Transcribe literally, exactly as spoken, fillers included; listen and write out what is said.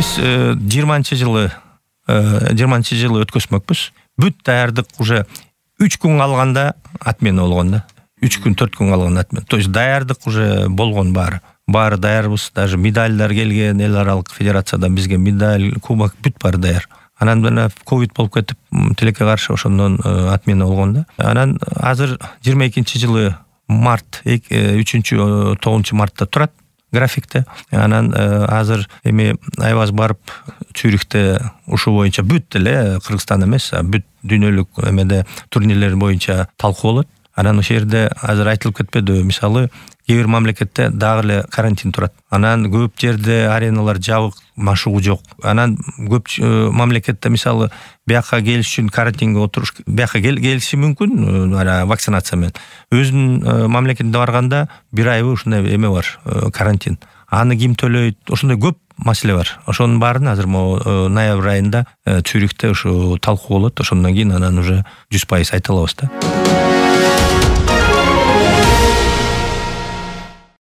биз жыйырманчы жылы жыйырманчы жылы өткөзмөкпүз. Бүт даярдык уже үч күн калганда отмена болгон да. үч күн төрт күн калган отмена. То есть даярдык уже болгон баары. Баары даярбыз, даже медальдар келген, эл аралык федерациядан бизге медаль, кубок бүт баары даяр. Анан мына ковид болуп кетип, тилекке каршы ошондон отмена болгон да. Анан азыр жыйырма экинчи жылы март, үчүнчү тогузунчу мартта турат графикте. Анан азыр эми Айбаз барып Цюрихте ушул боюнча бүт эле Кыргызстан эмес, бүт дүйнөлүк эмеде турнирлер боюнча талкуу болот. Анан ошол жерде азыр айтылып кетпедиби, мисалы, кээ бир мамлекетте дагы эле карантин турат. Анан көп жерде ареналар жабык, машыгуу жок. Анан көп мамлекетте мисалы бияка келиш үчүн карантинге отуруш, бияка келиши мүмкүн вакцинация менен. Өзүнүн мамлекетине барганда бир айбы ушундай эме бар, карантин. Аны ким төлөйт? Ошондой көп маселе бар. Ошонун баарын азыр могу ноябрь айында Цюрихте ушу талкуу болот. Ошондон кийин анан уже жүз пайыз айта алабыз да.